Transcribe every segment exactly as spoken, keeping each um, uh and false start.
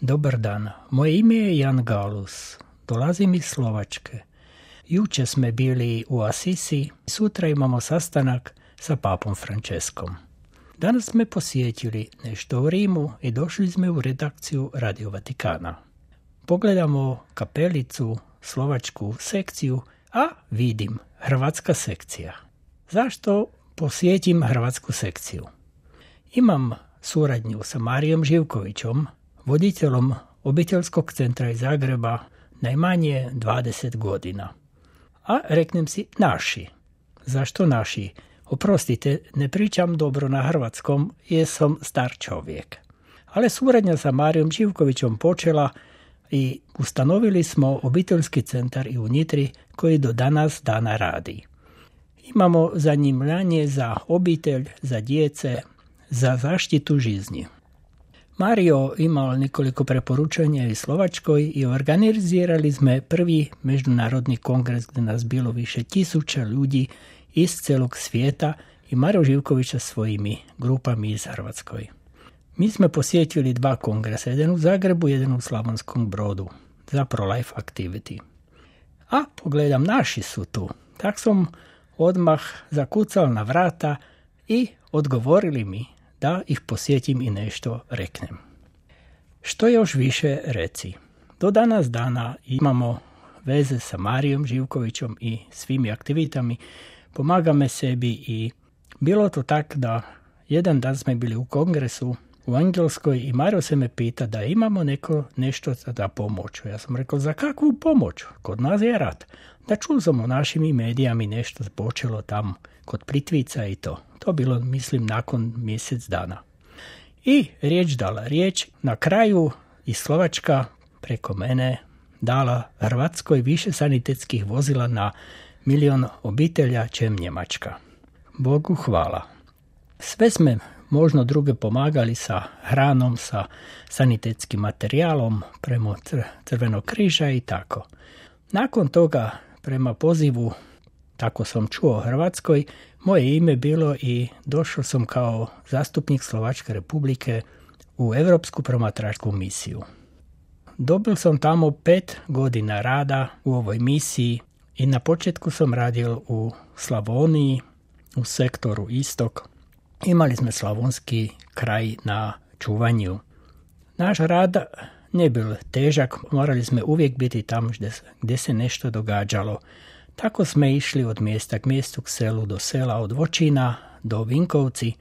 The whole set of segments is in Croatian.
Dobar dan, moje ime je Jan Galus, dolazim iz Slovačke. Juče sme bili u Asisi, sutra imamo sastanak sa papom Franceskom. Danas sme posjetili nešto u Rimu i došli sme u redakciju Radio Vatikana. Pogledamo kapelicu, slovačku sekciju, a vidim hrvatska sekcija. Zašto posjetim hrvatsku sekciju? Imam suradnju sa Marijom Živkovićom, voditelom obiteljskog centra iz Zagreba, najmanje dvadeset godina. A reknem si naši. Zašto naši? Oprostite, ne pričam dobro na hrvatskom jer sam star čovjek. Ali suradnja sa Marijom Živkovićom počela i ustanovili smo obiteljski centar i u Nitri koji do danas dana radi. Imamo zanimanje za obitelj, za djece, za zaštitu žizni. Mario imao nekoliko preporučanja iz Slovačkoj i organizirali sme prvi međunarodni kongres gdje nas bilo više tisuća ljudi iz celog svijeta i Mario Živkovića svojimi grupami iz Hrvatskoj. Mi smo posjetili dva kongresa, jedan u Zagrebu, jedan u Slavonskom Brodu, za pro-life activity. A pogledam, naši su tu. Tak sam odmah zakucal na vrata i odgovorili mi da ih posjetim i nešto reknem. Što još više reci? Do danas dana imamo veze sa Marijom Živkovićom i svimi aktivitami. Pomagame sebi i bilo to tak da jedan dan smo bili u kongresu u Engleskoj i Mario se me pita da imamo neko nešto za pomoć. Ja sam rekao, za kakvu pomoć? Kod nas je rat. Da čul sam u našim medijama nešto počelo tamo kod Plitvica i to. To bilo, mislim, nakon mjesec dana. I riječ dala riječ. Na kraju iz Slovačka preko mene dala Hrvatskoj više sanitetskih vozila na milion obitelja, čem Njemačka. Bogu hvala. Sve sme možno druge pomagali sa hranom, sa sanitetskim materijalom, prema Crvenog križa i tako. Nakon toga, prema pozivu, tako sam čuo o Hrvatskoj, moje ime bilo i došao sam kao zastupnik Slovačke republike u Europsku promatračku misiju. Dobil sam tamo pet godina rada u ovoj misiji i na početku sam radio u Slavoniji, u sektoru Istok. Imali smo slavonski kraj na čuvanju. Naš rad ne bil težak, morali smo uvijek biti tamo gdje se nešto događalo. Tako smo išli od mjesta k mjestu, k selu do sela, od Vočina do Vinkovci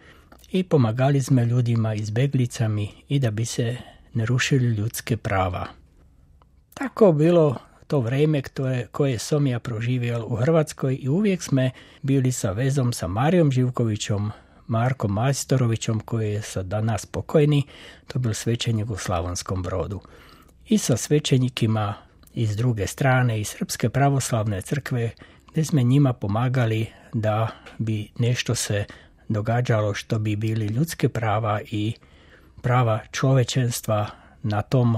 i pomagali smo ljudima izbeglicami i da bi se ne rušili ljudske prava. Tako bilo to vrijeme koje, koje sam ja proživjel u Hrvatskoj i uvijek smo bili sa vezom sa Marijom Živkovićom, Markom Majstorovićom koji je sad danas pokojni, to bil svećenik u Slavonskom Brodu. I sa svećenikima iz druge strane, iz Srpske pravoslavne crkve, gdje smo njima pomagali da bi nešto se događalo što bi bili ljudske prava i prava čovečenstva na tom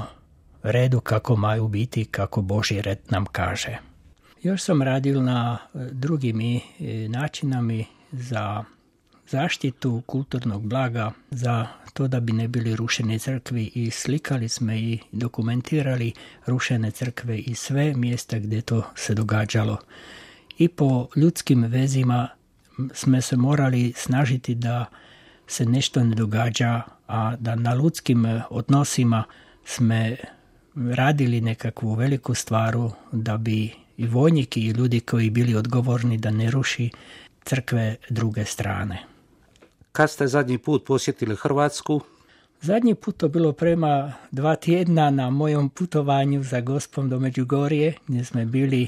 redu kako maju biti, kako Božji red nam kaže. Još sam radil na drugim načinami za zaštitu kulturnog blaga, za to da bi ne bili rušene crkvi i slikali smo i dokumentirali rušene crkve i sve mjesta gdje to se događalo. I po ljudskim vezima smo se morali snažiti da se nešto ne događa, a da na ljudskim odnosima smo radili nekakvu veliku stvaru da bi i vojniki i ljudi koji bili odgovorni da ne ruši crkve druge strane. Kad ste zadnji put posjetili Hrvatsku? Zadnji put to bilo prema dva tjedna na mojom putovanju za Gospom do Međugorje, gdje smo bili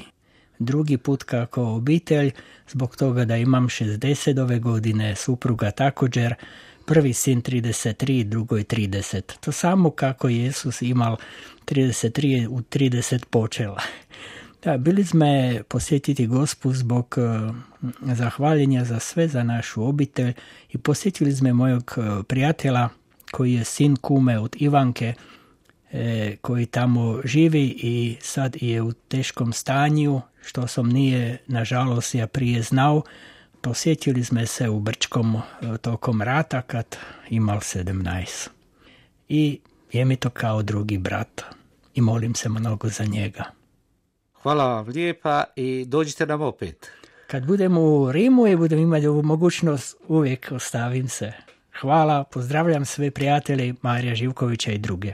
drugi put kako obitelj, zbog toga da imam šezdeset ove godine, supruga također, prvi sin trideset tri, drugoj trideset. To samo kako Jezus imal trideset tri u trideset počela. Da, bili smo posjetiti Gospu zbog uh, zahvaljenja za sve, za našu obitelj i posjetili smo mojeg uh, prijatelja koji je sin kume od Ivanke, e, koji tamo živi i sad je u teškom stanju, što sam nije, nažalost, ja prije znao. Posjetili smo se u Brčkom uh, tokom rata kad imal sedamnaest. I Je mi to kao drugi brat i molim se mnogo za njega. Hvala vam lijepa i dođite nam opet. Kad budem u Rimu i budem imati ovu mogućnost, uvijek ostavim se. Hvala, pozdravljam sve prijatelje Marija Živkovića i druge.